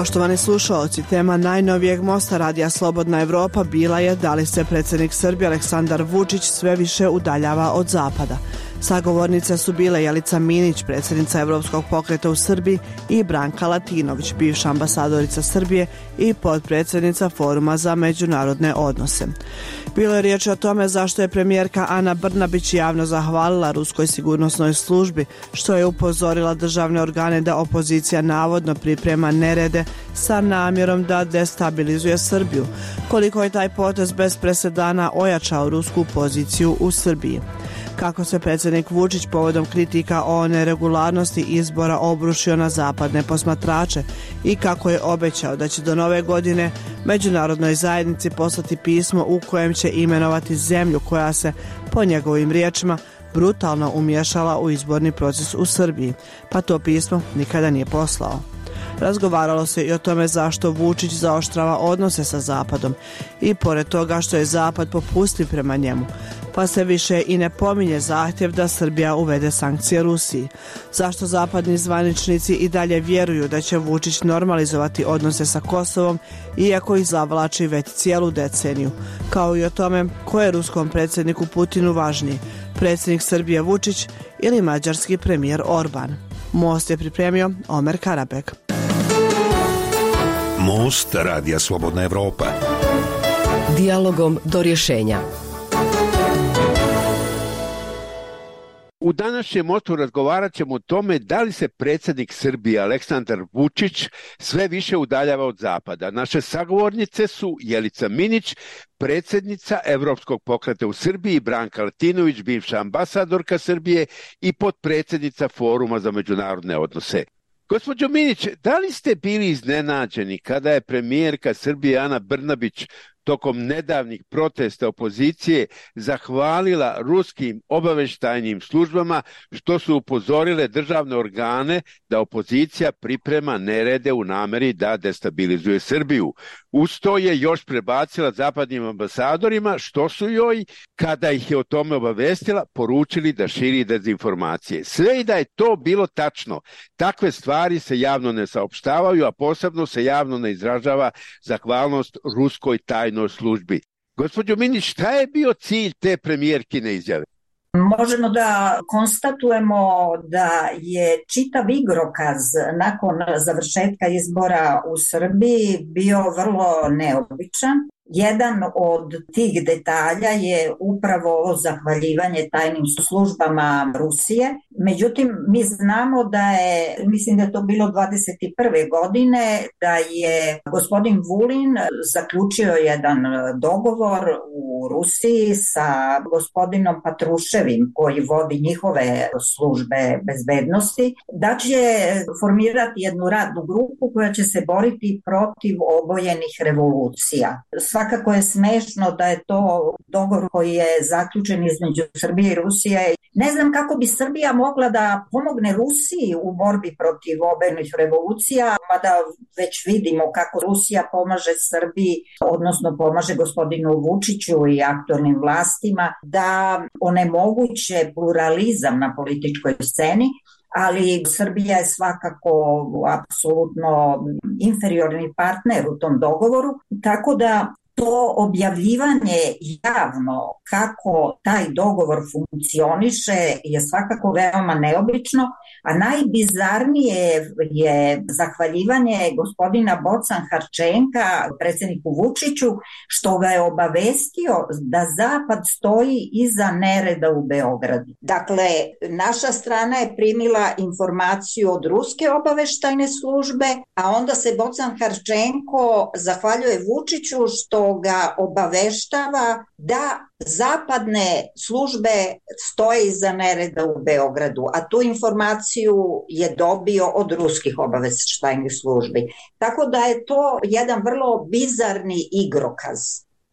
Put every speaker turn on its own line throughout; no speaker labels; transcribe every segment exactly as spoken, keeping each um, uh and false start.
Poštovani slušaoci, tema najnovijeg mosta Radija Slobodna Evropa bila je da li se predsjednik Srbije Aleksandar Vučić sve više udaljava od zapada. Sagovornice su bile Jelica Minić, predsjednica Evropskog pokreta u Srbiji, i Branka Latinović, bivša ambasadorica Srbije i potpredsjednica Foruma za međunarodne odnose. Bilo je riječ o tome zašto je premijerka Ana Brnabić javno zahvalila ruskoj sigurnosnoj službi, što je upozorila državne organe da opozicija navodno priprema nerede sa namjerom da destabilizuje Srbiju, koliko je taj potez bez presedana ojačao rusku poziciju u Srbiji. Kako se predsjednik Vučić povodom kritika o neregularnosti izbora obrušio na zapadne posmatrače i kako je obećao da će do nove godine međunarodnoj zajednici poslati pismo u kojem će imenovati zemlju koja se, po njegovim riječima, brutalno umiješala u izborni proces u Srbiji, pa to pismo nikada nije poslao. Razgovaralo se i o tome zašto Vučić zaoštrava odnose sa Zapadom i pored toga što je Zapad popustljiv prema njemu, pa se više i ne pominje zahtjev da Srbija uvede sankcije Rusiji. Zašto zapadni zvaničnici i dalje vjeruju da će Vučić normalizovati odnose sa Kosovom, iako ih zavlači već cijelu deceniju, kao i o tome ko je ruskom predsjedniku Putinu važniji, predsjednik Srbije Vučić ili mađarski premijer Orban. Most je pripremio Omer Karabek.
Most Radija Slobodna Evropa.
Dijalogom do rješenja.
U današnjem mostu razgovarat ćemo o tome da li se predsjednik Srbije Aleksandar Vučić sve više udaljava od zapada. Naše sagovornice su Jelica Minić, predsjednica Evropskog pokreta u Srbiji, Branka Latinović, bivša ambasadorka Srbije i potpredsjednica Foruma za međunarodne odnose. Gospođo Minić, da li ste bili iznenađeni kada je premijerka Srbije Ana Brnabić tokom nedavnih protesta opozicije zahvalila ruskim obavještajnim službama što su upozorile državne organe da opozicija priprema nerede u namjeri da destabilizuje Srbiju? Uz to je još prebacila zapadnim ambasadorima što su joj, kada ih je o tome obavestila, poručili da širi dezinformacije. Sve i da je to bilo tačno, takve stvari se javno ne saopštavaju, a posebno se javno ne izražava zahvalnost ruskoj tajnoj službi. Gospođo Minić, šta je bio cilj te premijerkine izjave?
Možemo da konstatujemo da je čitav igrokaz nakon završetka izbora u Srbiji bio vrlo neobičan. Jedan od tih detalja je upravo zahvaljivanje tajnim službama Rusije. Međutim, mi znamo da je, mislim da je to bilo dvadeset prve godine, da je gospodin Vulin zaključio jedan dogovor u Rusiji sa gospodinom Patruševim, koji vodi njihove službe bezbednosti, da će formirati jednu radnu grupu koja će se boriti protiv obojenih revolucija. Svakako je smešno da je to dogovor koji je zaključen između Srbije i Rusije. Ne znam kako bi Srbija mogla da pomogne Rusiji u borbi protiv obojenih revolucija, mada već vidimo kako Rusija pomaže Srbiji, odnosno pomaže gospodinu Vučiću i aktualnim vlastima da onemoguće pluralizam na političkoj sceni, ali Srbija je svakako apsolutno inferiorni partner u tom dogovoru, tako da to objavljivanje javno kako taj dogovor funkcioniše je svakako veoma neobično, a najbizarnije je zahvaljivanje gospodina Bocan Harčenka, predsjedniku Vučiću, što ga je obavestio da Zapad stoji iza nereda u Beogradu. Dakle, naša strana je primila informaciju od ruske obaveštajne službe, a onda se Bocan Harčenko zahvaljuje Vučiću što ga obaveštava da zapadne službe stoje iza nereda u Beogradu, a tu informaciju je dobio od ruskih obaveštajnih službi. Tako da je to jedan vrlo bizarni igrokaz.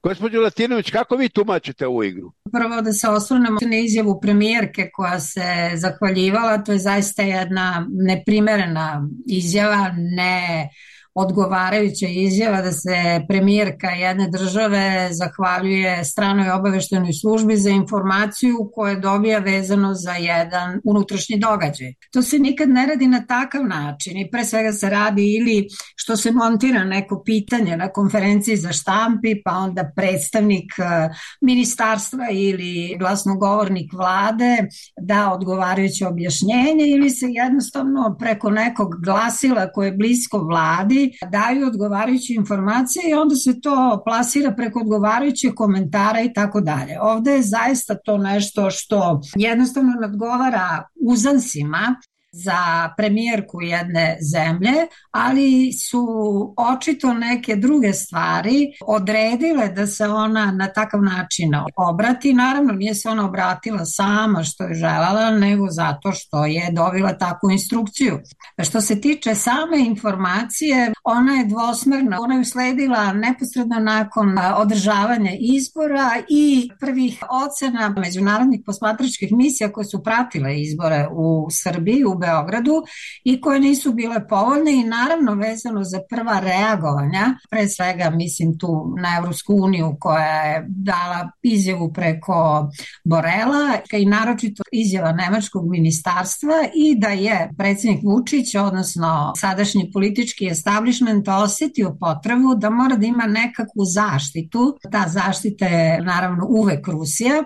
Gospođo Latinović, kako vi tumačite ovu igru?
Prvo da se osvrnemo na izjavu premijerke koja se zahvaljivala, to je zaista jedna neprimerena izjava, ne odgovarajuća izjava da se premijerka jedne države zahvaljuje stranoj obaveštenoj službi za informaciju koju dobija vezano za jedan unutrašnji događaj. To se nikad ne radi na takav način i pre svega se radi ili što se montira neko pitanje na konferenciji za štampi, pa onda predstavnik ministarstva ili glasnogovornik vlade da odgovarajuće objašnjenje ili se jednostavno preko nekog glasila koje je blisko vladi daju odgovarajuće informacije i onda se to plasira preko odgovarajućih komentara i tako dalje. Ovde je zaista to nešto što jednostavno nadgovara uzansima za premijerku jedne zemlje, ali su očito neke druge stvari odredile da se ona na takav način obrati. Naravno, nije se ona obratila sama što je želela, nego zato što je dobila takvu instrukciju. Što se tiče same informacije, ona je dvosmerna. Ona je usledila neposredno nakon održavanja izbora i prvih ocena međunarodnih posmatračkih misija koje su pratile izbore u Srbiji, u Beogradu i koje nisu bile povoljne i naravno vezano za prva reagovanja, pre svega mislim tu na Evropsku uniju koja je dala izjavu preko Borela i naročito izjava nemačkog ministarstva i da je predsjednik Vučić, odnosno sadašnji politički establishment osetio potrebu da mora da ima nekakvu zaštitu. Ta zaštita je naravno uvek Rusija,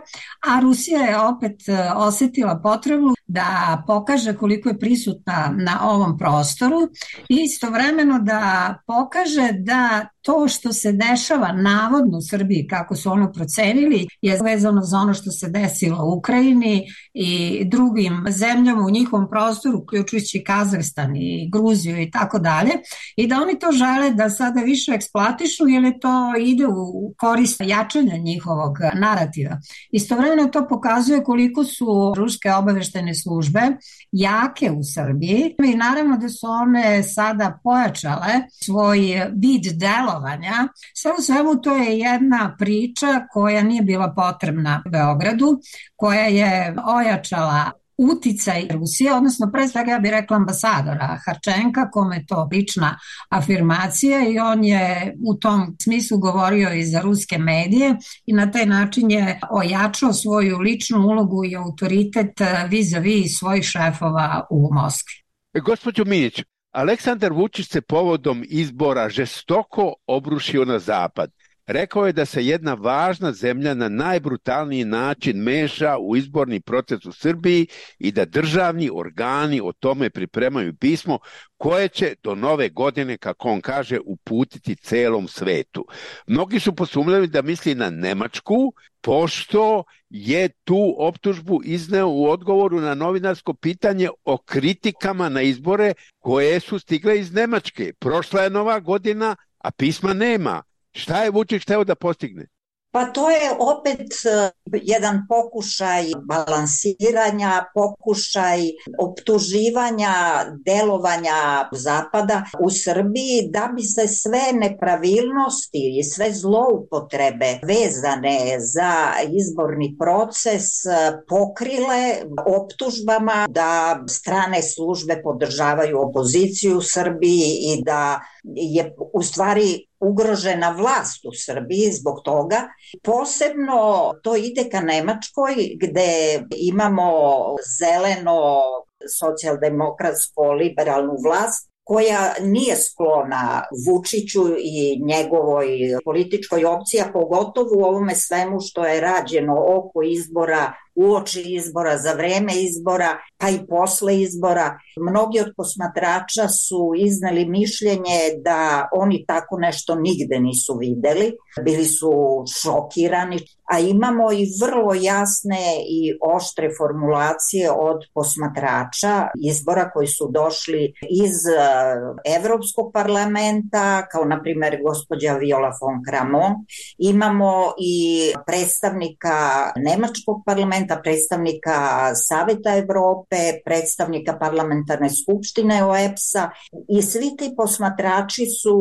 a Rusija je opet osetila potrebu da pokaže koliko je prisutna na ovom prostoru i istovremeno da pokaže da to što se dešava navodno u Srbiji, kako su ono procenili, je vezano za ono što se desilo u Ukrajini i drugim zemljama u njihovom prostoru, uključujući Kazahstan i Gruziju i tako dalje, i da oni to žele da sada više eksploatišu jer je to ide u korist jačanja njihovog narativa. Istovremeno to pokazuje koliko su ruske obaveštene službe jake u Srbiji i naravno da su one sada pojačale svoj vid delovanja. Sve u svemu to je jedna priča koja nije bila potrebna Beogradu, koja je ojačala uticaj Rusije, odnosno pre svega ja bih rekla ambasadora Harčenka, kome je to lična afirmacija i on je u tom smislu govorio i za ruske medije i na taj način je ojačao svoju ličnu ulogu i autoritet vis-a-vis svojih šefova u Moskvi.
Gospođo Minić, Aleksandar Vučić se povodom izbora žestoko obrušio na zapad. Rekao je da se jedna važna zemlja na najbrutalniji način meša u izborni proces u Srbiji i da državni organi o tome pripremaju pismo koje će do nove godine, kako on kaže, uputiti celom svetu. Mnogi su posumnjali da misli na Nemačku, pošto je tu optužbu izneo u odgovoru na novinarsko pitanje o kritikama na izbore koje su stigle iz Nemačke. Prošla je nova godina, a pisma nema. Šta je Vučić hteo da postigne?
Pa to je opet jedan pokušaj balansiranja, pokušaj optuživanja, delovanja Zapada u Srbiji da bi se sve nepravilnosti i sve zloupotrebe vezane za izborni proces pokrile optužbama da strane službe podržavaju opoziciju u Srbiji i da je u stvari ugrožena vlast u Srbiji zbog toga. Posebno to ide ka Nemačkoj gde imamo zeleno socijaldemokratsko liberalnu vlast koja nije sklona Vučiću i njegovoj političkoj opciji, a pogotovo u ovome svemu što je rađeno oko izbora, uoči izbora, za vreme izbora, pa i posle izbora. Mnogi od posmatrača su izneli mišljenje da oni tako nešto nigde nisu videli, bili su šokirani, a imamo i vrlo jasne i oštre formulacije od posmatrača izbora koji su došli iz Evropskog parlamenta, kao na primjer gospođa Viola von Kramon. Imamo i predstavnika Nemačkog parlamenta, predstavnika Saveta Evrope, predstavnika parlamentarne skupštine O E P S-a i svi ti posmatrači su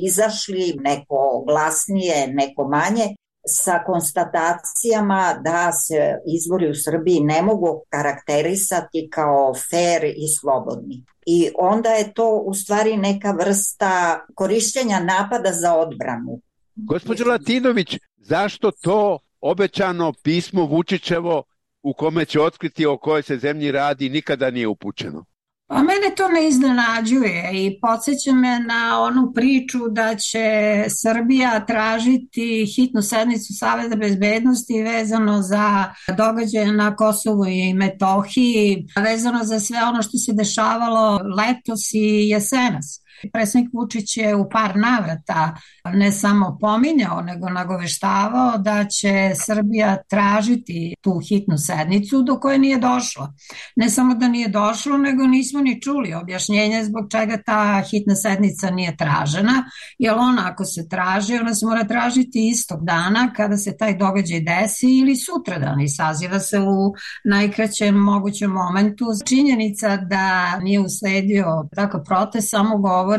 izašli, neko glasnije, neko manje, sa konstatacijama da se izbori u Srbiji ne mogu karakterisati kao fer i slobodni. I onda je to u stvari neka vrsta korišćenja napada za odbranu.
Gospođo Latinović, zašto to obećano pismo Vučićevo u kome će otkriti o kojoj se zemlji radi nikada nije upućeno?
A mene to ne iznenađuje i podsjeća me na onu priču da će Srbija tražiti hitnu sednicu Saveta bezbednosti vezano za događaje na Kosovu i Metohiji, vezano za sve ono što se dešavalo letos i jesenas. Predsjednik Vučić je u par navrata ne samo pominjao, nego nagoveštavao da će Srbija tražiti tu hitnu sednicu do koje nije došlo. Ne samo da nije došlo, nego nismo ni čuli objašnjenje zbog čega ta hitna sednica nije tražena, jer ona ako se traži, ona se mora tražiti istog dana kada se taj događaj desi ili sutradan i saziva se u najkraćem mogućem momentu. Činjenica da nije usledio takav protest samo govori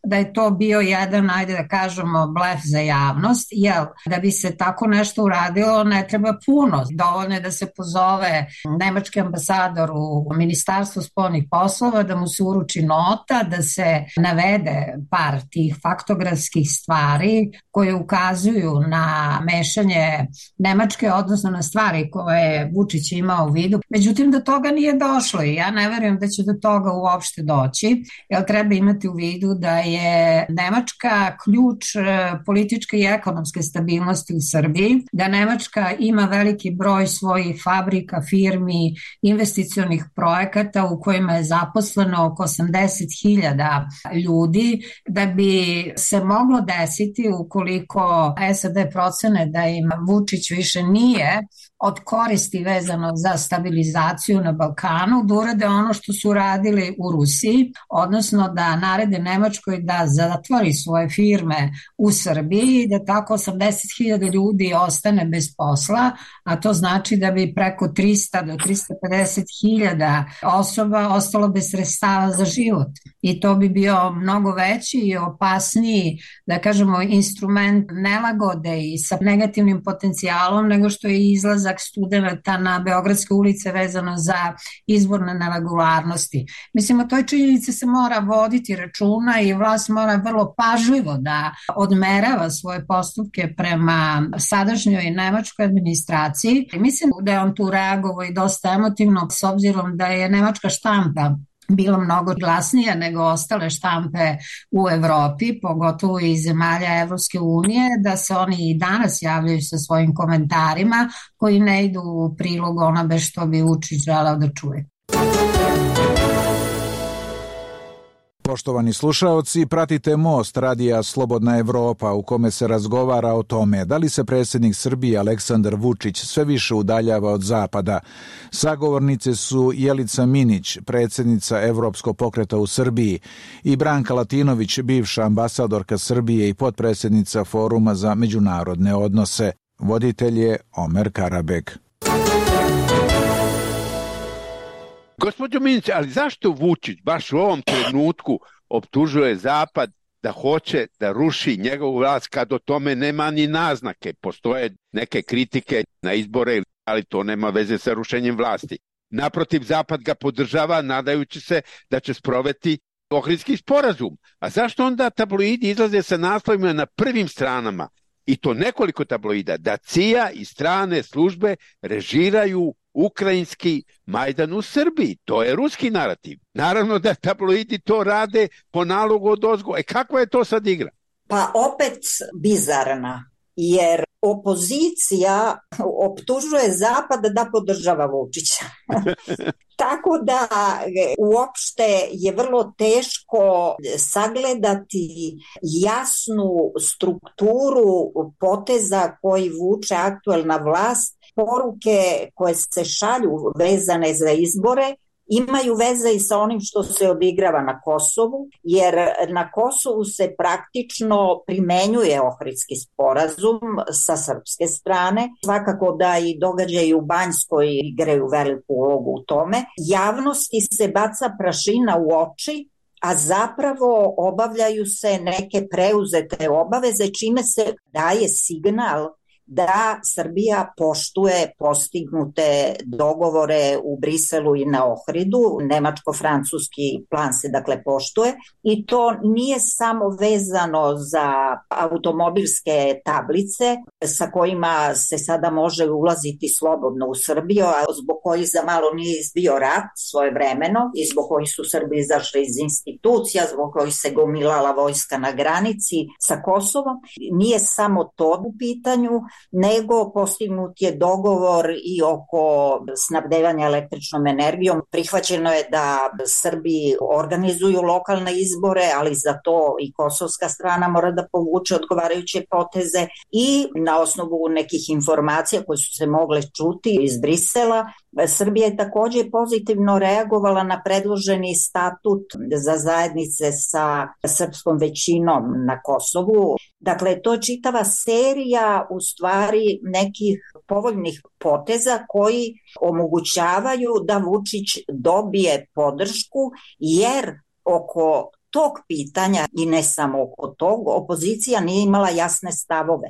da je to bio jedan, ajde da kažemo, blef za javnost, jer da bi se tako nešto uradilo ne treba puno. Dovoljno je da se pozove nemački ambasador u Ministarstvu spoljnih poslova, da mu se uruči nota, da se navede par tih faktografskih stvari koje ukazuju na mešanje Nemačke, odnosno na stvari koje je Vučić imao u vidu. Međutim, do toga nije došlo i ja ne verujem da će do toga uopšte doći, jer treba imati u vidu da je Nemačka ključ političke i ekonomske stabilnosti u Srbiji, da Nemačka ima veliki broj svojih fabrika, firmi, investicionih projekata u kojima je zaposleno oko osamdeset hiljada ljudi, da bi se moglo desiti ukoliko S A D procene da im Vučić više nije od koristi vezano za stabilizaciju na Balkanu, da urade ono što su radili u Rusiji, odnosno da narede Nemačkoj da zatvori svoje firme u Srbiji i da tako osamdeset hiljada ljudi ostane bez posla, a to znači da bi preko trista do trista pedeset hiljada osoba ostalo bez sredstava za život. I to bi bio mnogo veći i opasniji, da kažemo, instrument nelagode i sa negativnim potencijalom nego što je izlazak studenata na Beogradske ulice vezano za izborne neregularnosti. Mislim, o toj činjenici se mora voditi računa i vlast mora vrlo pažljivo da odmerava svoje postupke prema sadašnjoj nemačkoj administraciji. Mislim da je on tu reagovao i dosta emotivno, s obzirom da je nemačka štampa bilo mnogo glasnije nego ostale štampe u Evropi, pogotovo iz zemalja Evropske unije, da se oni i danas javljaju sa svojim komentarima koji ne idu u prilog onobe što bi Vučić želeo da čuje.
Poštovani slušaoci, pratite Most radija Slobodna Evropa u kome se razgovara o tome da li se predsjednik Srbije Aleksandar Vučić sve više udaljava od Zapada. Sagovornice su Jelica Minić, predsjednica Evropskog pokreta u Srbiji, i Branka Latinović, bivša ambasadorka Srbije i potpredsjednica Foruma za međunarodne odnose. Voditelj je Omer Karabek.
Gospođo Minić, ali zašto Vučić baš u ovom trenutku optužuje Zapad da hoće da ruši njegovu vlast kad o tome nema ni naznake? Postoje neke kritike na izbore, ali to nema veze sa rušenjem vlasti. Naprotiv, Zapad ga podržava nadajući se da će sprovesti Ohridski sporazum. A zašto onda tabloidi izlaze sa naslovima na prvim stranama, i to nekoliko tabloida, da C I A i strane službe režiraju ukrajinski Majdan u Srbiji? To je ruski narativ. Naravno da tabloidi to rade po nalogu odozgo. E kakva je to sad igra?
Pa opet bizarna, jer opozicija optužuje Zapad da podržava Vučića. Tako da uopšte je vrlo teško sagledati jasnu strukturu poteza koji vuče aktuelna vlast. Poruke koje se šalju vezane za izbore imaju veze i sa onim što se odigrava na Kosovu, jer na Kosovu se praktično primenjuje Ohridski sporazum sa srpske strane. Svakako da i događaji u Banjskoj igraju veliku ulogu u tome. Javnosti se baca prašina u oči, a zapravo obavljaju se neke preuzete obaveze, čime se daje signal da Srbija poštuje postignute dogovore u Briselu i na Ohridu. Nemačko-francuski plan se dakle poštuje i to nije samo vezano za automobilske tablice sa kojima se sada može ulaziti slobodno u Srbiju, a zbog kojih za malo nije izbio rat svojevremeno i zbog kojih su Srbi izašli iz institucija, zbog kojih se gomilala vojska na granici sa Kosovom. Nije samo to u pitanju, nego postignut je dogovor i oko snabdevanja električnom energijom. Prihvaćeno je da Srbi organizuju lokalne izbore, ali za to i kosovska strana mora da povuče odgovarajuće poteze i na osnovu nekih informacija koje su se mogle čuti iz Brisela, Srbija je takođe pozitivno reagovala na predloženi statut za zajednice sa srpskom većinom na Kosovu. Dakle, to je čitava serija u stvari nekih povoljnih poteza koji omogućavaju da Vučić dobije podršku, jer oko tog pitanja i ne samo oko tog, opozicija nije imala jasne stavove.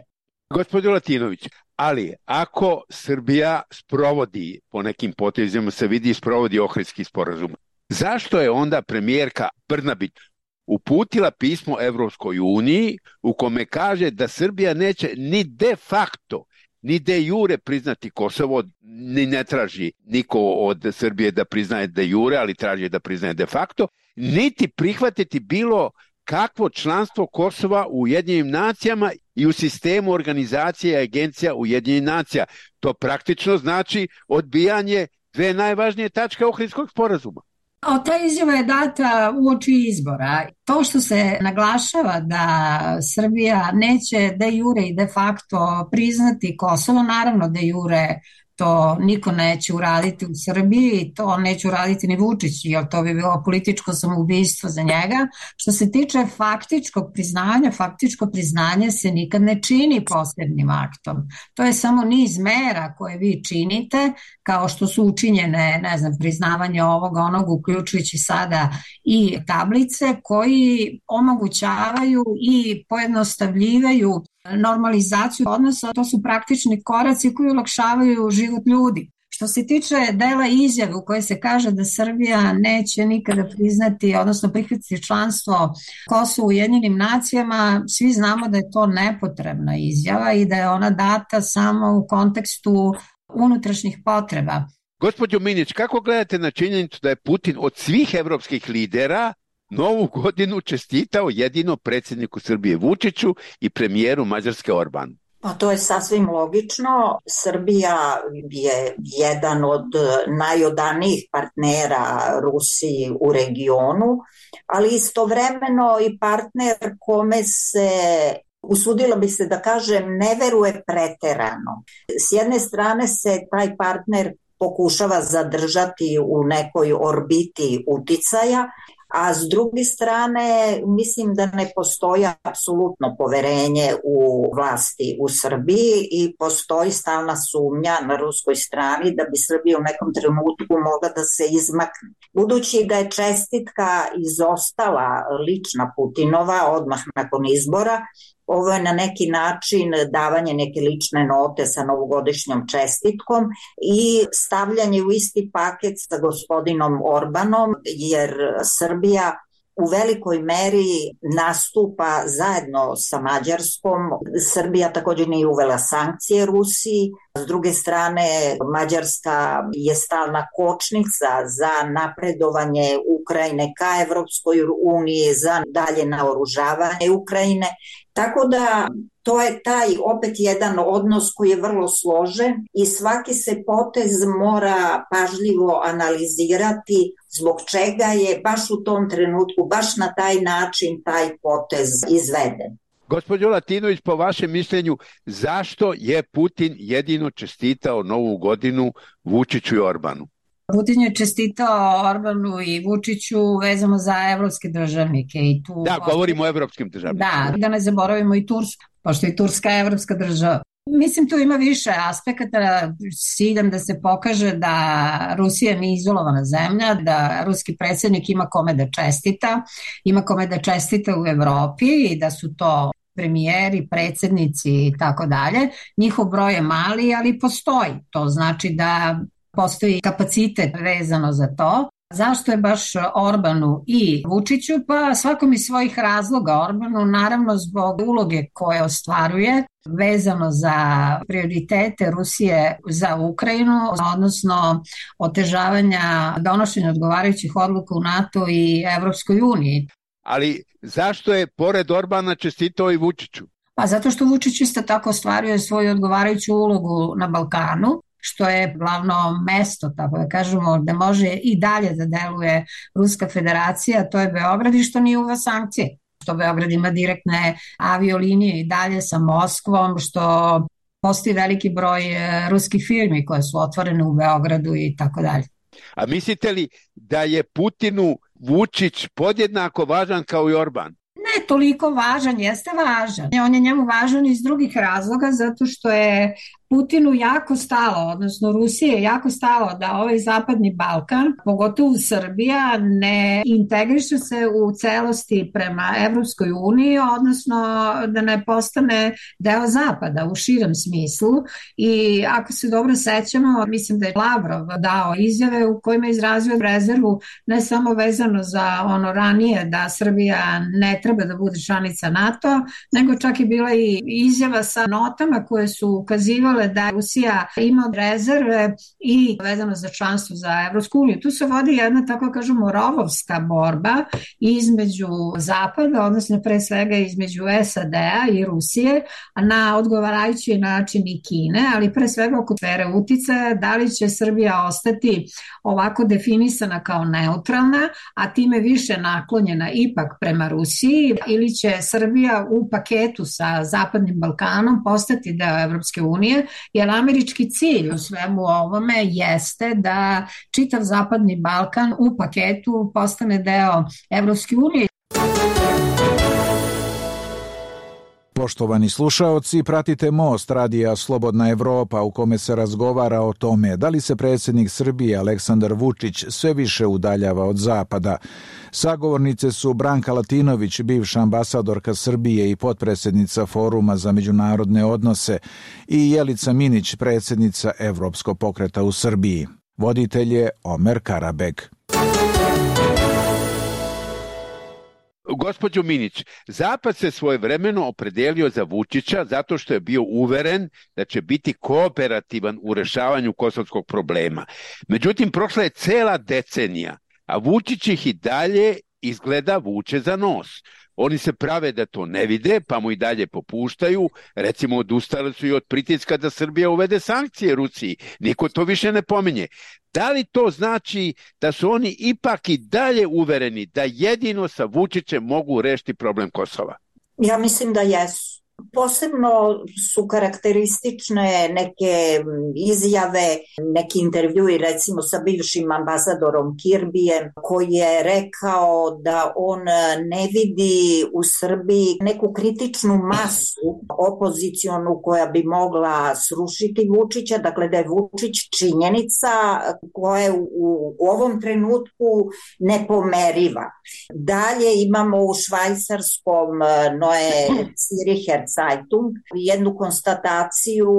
Gospodin Latinović, ali ako Srbija sprovodi, po nekim potezima se vidi, sprovodi Ohridski sporazum, zašto je onda premijerka Brnabić uputila pismo Evropskoj uniji u kome kaže da Srbija neće ni de facto, ni de jure priznati Kosovo, ni ne traži niko od Srbije da priznaje de jure, ali traži da priznaje de facto, niti prihvatiti bilo kakvo članstvo Kosova u Ujedinjenim nacijama i u sistemu organizacije i agencija Ujedinjenih nacija. To praktično znači odbijanje dve najvažnije tačke Ohridskog sporazuma.
O, ta izjava je data uoči izbora. To što se naglašava da Srbija neće de jure i de facto priznati Kosovo, naravno de jure to niko neće uraditi u Srbiji, to neće uraditi ni Vučić, jer to bi bilo političko samoubistvo za njega. Što se tiče faktičkog priznanja, faktičko priznanje se nikad ne čini posebnim aktom. To je samo niz mera koje vi činite, kao što su učinjene, ne znam, priznavanje ovoga, onog, uključujući sada i tablice, koji omogućavaju i pojednostavljivaju normalizaciju odnosa. To su praktični koraci koji olakšavaju život ljudi. Što se tiče dela izjave u kojoj se kaže da Srbija neće nikada priznati, odnosno prihvatiti članstvo Kosova u Ujedinjenim nacijama, svi znamo da je to nepotrebna izjava i da je ona data samo u kontekstu unutrašnjih potreba.
Gospođo Minić, kako gledate na činjenicu da je Putin od svih evropskih lidera Novu godinu čestitao jedino predsjedniku Srbije Vučiću i premijeru Mađarske Orbanu?
Pa to je sasvim logično. Srbija je jedan od najodanijih partnera Rusiji u regionu, ali istovremeno i partner kome se, usudila bi se da kažem, ne veruje preterano. S jedne strane se taj partner pokušava zadržati u nekoj orbiti uticaja, a s druge strane mislim da ne postoji apsolutno poverenje u vlasti u Srbiji i postoji stalna sumnja na ruskoj strani da bi Srbija u nekom trenutku mogla da se izmakne. Budući da je čestitka izostala lična Putinova odmah nakon izbora, ovo je na neki način davanje neke lične note sa novogodišnjom čestitkom i stavljanje u isti paket sa gospodinom Orbanom, jer Srbija u velikoj meri nastupa zajedno sa Mađarskom. Srbija također nije uvela sankcije Rusiji. S druge strane, Mađarska je stalna kočnica za napredovanje Ukrajine ka Evropskoj uniji, za dalje naoružavanje Ukrajine. Tako da to je taj opet jedan odnos koji je vrlo složen i svaki se potez mora pažljivo analizirati zbog čega je baš u tom trenutku, baš na taj način taj potez izveden.
Gospođo Latinović, po vašem mišljenju, zašto je Putin jedino čestitao Novu godinu Vučiću i Orbanu?
Putin je čestitao Orbanu i Vučiću vezano za evropske državnike. I tu
da, govorimo o evropskim državnicima.
Da, da ne zaboravimo i Tursku, pošto je Turska evropska država. Mislim, tu ima više aspekata, s ciljem da se pokaže da Rusija nije izolovana zemlja, da ruski predsjednik ima kome da čestita, ima kome da čestita u Evropi i da su to premijeri, predsjednici i tako dalje. Njihov broj je mali, ali postoji. To znači da postoji kapacitet vezano za to. Zašto je baš Orbanu i Vučiću? Pa svakom iz svojih razloga. Orbanu naravno zbog uloge koje ostvaruje vezano za prioritete Rusije za Ukrajinu, odnosno otežavanja donošenja odgovarajućih odluka u NATO i Evropskoj uniji.
Ali zašto je pored Orbana čestitao i Vučiću?
Pa zato što Vučić isto tako ostvaruje svoju odgovarajuću ulogu na Balkanu, što je glavno mesto, tako da kažemo, da može i dalje da deluje Ruska federacija, to je Beograd, i što nije uva sankcije. Što Beograd ima direktne aviolinije i dalje sa Moskvom, što postoji veliki broj ruskih firmi koje su otvorene u Beogradu i tako dalje.
A mislite li da je Putinu Vučić podjednako važan kao i Orban?
Ne toliko važan, jeste važan. On je njemu važan iz drugih razloga, zato što je Putinu jako stalo, odnosno Rusije je jako stalo da ovaj zapadni Balkan, pogotovo Srbija, ne integriše se u celosti prema Evropskoj uniji, odnosno da ne postane deo zapada u širem smislu. I ako se dobro sećamo, mislim da je Lavrov dao izjave u kojima je izrazio rezervu ne samo vezano za ono ranije da Srbija ne treba da bude članica NATO, nego čak je bila i izjava sa notama koje su ukazivale da Rusija ima rezerve i vezano za članstvo za Evropsku uniju. Tu se vodi jedna, tako kažemo, rovovska borba između Zapada, odnosno pre svega između S A D-a i Rusije, na odgovarajući način i Kine, ali pre svega oko sfere uticaja, da li će Srbija ostati ovako definisana kao neutralna, a time više naklonjena ipak prema Rusiji, ili će Srbija u paketu sa Zapadnim Balkanom postati deo Evropske unije, jer američki cilj u svemu ovome jeste da čitav Zapadni Balkan u paketu postane deo Evropske unije.
Poštovani slušaoci, pratite Most radija Slobodna Evropa u kome se razgovara o tome da li se predsjednik Srbije Aleksandar Vučić sve više udaljava od Zapada. Sagovornice su Branka Latinović, bivša ambasadorka Srbije i potpredsjednica Foruma za međunarodne odnose, i Jelica Minić, predsjednica Evropskog pokreta u Srbiji. Voditelj je Omer Karabeg.
Gospođo Minić, Zapad se svojevremeno opredelio za Vučića zato što je bio uveren da će biti kooperativan u rešavanju kosovskog problema. Međutim, prošla je cela decenija, a Vučić ih i dalje izgleda vuče za nos. Oni se prave da to ne vide, pa mu i dalje popuštaju. Recimo, odustali su i od pritiska da Srbija uvede sankcije Rusiji. Niko to više ne pominje. Da li to znači da su oni ipak i dalje uvereni da jedino sa Vučićem mogu rešiti problem Kosova?
Ja mislim da jesu. Posebno su karakteristične neke izjave, neki intervjui recimo sa bivšim ambasadorom Kirbijem, koji je rekao da on ne vidi u Srbiji neku kritičnu masu opozicionu koja bi mogla srušiti Vučića, dakle da je Vučić činjenica koja je u, u ovom trenutku nepomeriva. Dalje imamo u švajcarskom Neue Zürcher Zeitung jednu konstataciju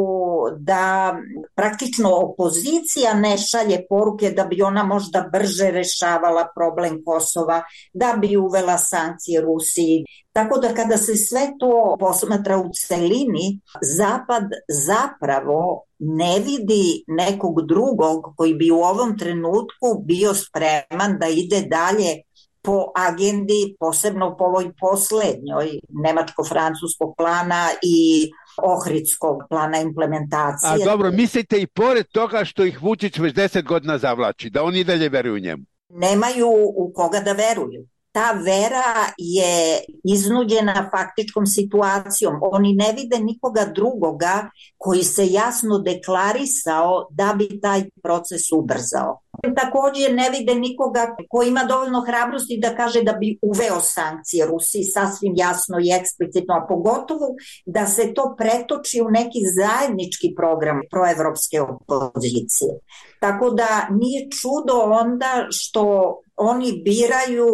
da praktično opozicija ne šalje poruke da bi ona možda brže rešavala problem Kosova, da bi uvela sankcije Rusiji. Tako da kada se sve to posmatra u celini, Zapad zapravo ne vidi nekog drugog koji bi u ovom trenutku bio spreman da ide dalje po agendi, posebno po ovoj poslednjoj nemačko-francuskog plana i ohridskog plana implementacije.
A dobro, mislite i pored toga što ih Vučić već deset godina zavlači, da oni dalje veruju njemu?
Nemaju u koga da veruju. Ta vera je iznuđena faktičkom situacijom. Oni ne vide nikoga drugoga koji se jasno deklarisao da bi taj proces ubrzao. Također ne vide nikoga koji ima dovoljno hrabrosti da kaže da bi uveo sankcije Rusiji sasvim jasno i eksplicitno, a pogotovo da se to pretoči u neki zajednički program proevropske opozicije. Tako da nije čudo onda što oni biraju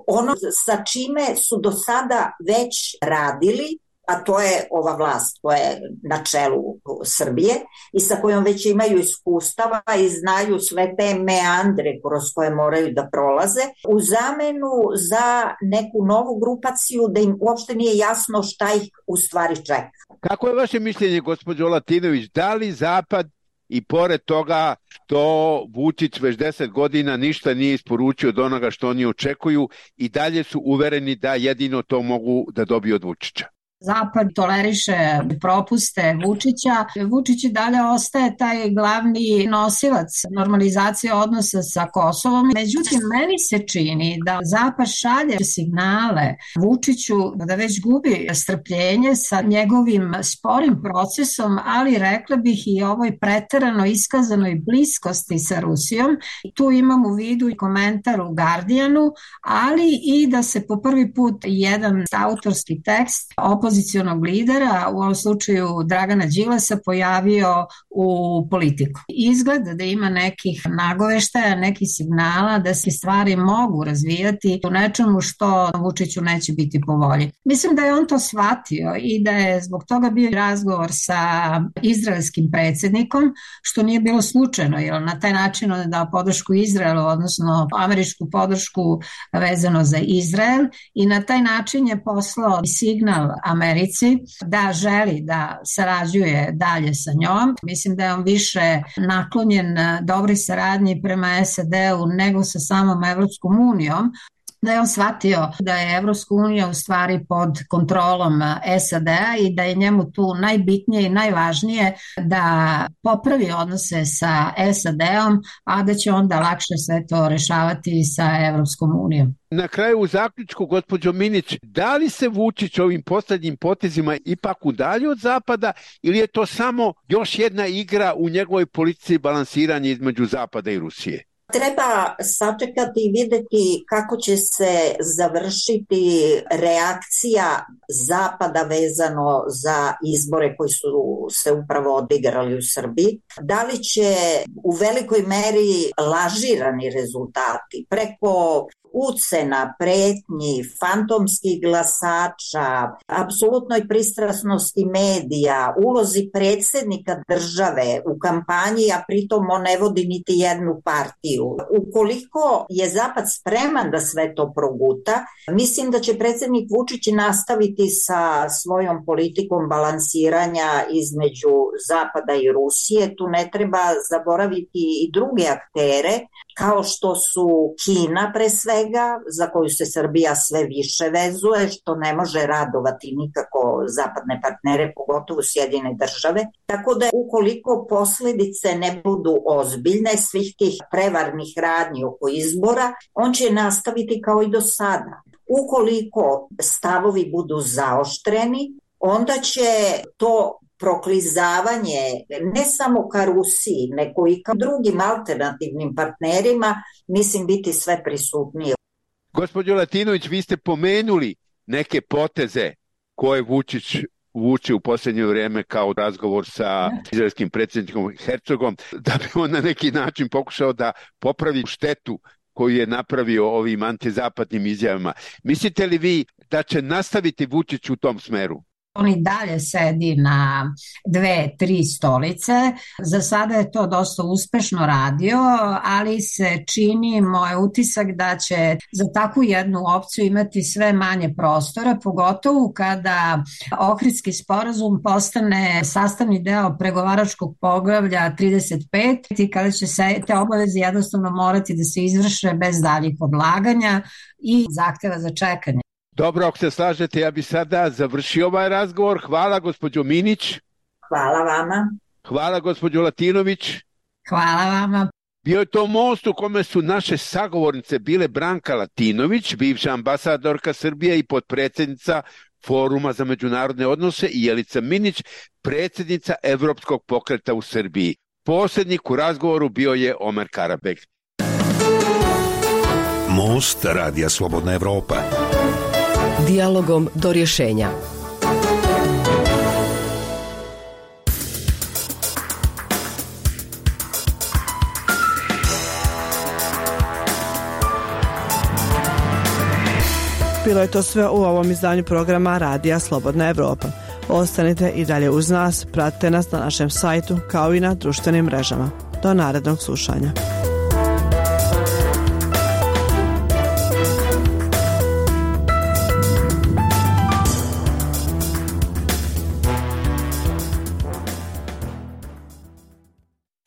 ono sa čime su do sada već radili a to je ova vlast koja je na čelu Srbije i sa kojom već imaju iskustava i znaju sve te meandre kroz koje moraju da prolaze, u zamenu za neku novu grupaciju da im uopšte nije jasno šta ih u stvari čeka.
Kako je vaše mišljenje, gospođo Latinović, da li Zapad i pored toga što Vučić već deset godina ništa nije isporučio od onoga što oni očekuju i dalje su uvereni da jedino to mogu da dobiju od Vučića?
Zapad toleriše propuste Vučića. Vučić i dalje ostaje taj glavni nosilac normalizacije odnosa sa Kosovom. Međutim, meni se čini da Zapad šalje signale Vučiću da već gubi strpljenje sa njegovim sporim procesom, ali rekla bih i ovoj preterano iskazanoj bliskosti sa Rusijom. Tu imam u vidu i komentar u Guardianu, ali i da se po prvi put jedan autorski tekst opozicionog lidera, u ovom slučaju Dragana Đilasa, pojavio u Politiku. Izgleda da ima nekih nagoveštaja, nekih signala da se stvari mogu razvijati u nečemu što Vučiću neće biti po volji. Mislim da je on to shvatio i da je zbog toga bio razgovor sa izraelskim predsjednikom, što nije bilo slučajno, jer na taj način on je dao podršku Izraelu, odnosno američku podršku vezano za Izrael, i na taj način je poslao signal Americi da želi da sarađuje dalje sa njom. Mislim da je on više naklonjen dobroj saradnji prema S A D-u nego sa samom Evropskom unijom, da je on shvatio da je Evropska unija u stvari pod kontrolom S A D-a i da je njemu tu najbitnije i najvažnije da popravi odnose sa S A D-om, a da će onda lakše sve to rešavati sa Evropskom unijom.
Na kraju u zaključku, gospođo Minić, da li se Vučić ovim poslednjim potezima ipak udalji od Zapada ili je to samo još jedna igra u njegovoj politici balansiranja između Zapada i Rusije?
Treba sačekati i videti kako će se završiti reakcija Zapada vezano za izbore koji su se upravo odigrali u Srbiji. Da li će u velikoj meri lažirani rezultati preko ucena, pretnji, fantomskih glasača, apsolutnoj pristrasnosti medija, ulozi predsjednika države u kampanji, a pritom on ne vodi niti jednu partiju. Ukoliko je Zapad spreman da sve to proguta, mislim da će predsjednik Vučić nastaviti sa svojom politikom balansiranja između Zapada i Rusije. Tu ne treba zaboraviti i druge aktere, kao što su Kina pre svega, za koju se Srbija sve više vezuje, što ne može radovati nikako zapadne partnere, pogotovo Sjedinjene države. Tako da ukoliko posljedice ne budu ozbiljne svih tih prevarnih radnji oko izbora, on će nastaviti kao i do sada. Ukoliko stavovi budu zaoštreni, onda će to proklizavanje ne samo ka Rusiji, nego i ka drugim alternativnim partnerima, mislim, biti sve prisutnije.
Gospođo Latinović, vi ste pomenuli neke poteze koje Vučić vuče u posljednje vrijeme kao razgovor sa izraelskim predsjednikom Hercogom, da bi on na neki način pokušao da popravi štetu koju je napravio ovim antizapadnim izjavama. Mislite li vi da će nastaviti Vučić u tom smeru?
On i dalje sedi na dve, tri stolice. Za sada je to dosta uspešno radio, ali se čini moj utisak da će za takvu jednu opciju imati sve manje prostora, pogotovo kada Ohridski sporazum postane sastavni deo pregovaračkog poglavlja trideset pet i kada će se te obaveze jednostavno morati da se izvrše bez daljih odlaganja i zahteva za čekanje.
Dobro, ako se slažete, ja bi sada završio ovaj razgovor. Hvala, gospođo Minić.
Hvala vama.
Hvala, gospođo Latinović.
Hvala vama.
Bio je to most u kome su naše sagovornice bile Branka Latinović, bivša ambasadorka Srbije i potpredsjednica Foruma za međunarodne odnose, i Jelica Minić, predsjednica Evropskog pokreta u Srbiji. Posrednik u razgovoru bio je Omer Karabek.
Most Radija Slobodna Evropa.
Dijalogom do rješenja.
Bilo je to sve u ovom izdanju programa Radija Slobodna Evropa. Ostanite i dalje uz nas, pratite nas na našem sajtu kao i na društvenim mrežama. Do narednog slušanja.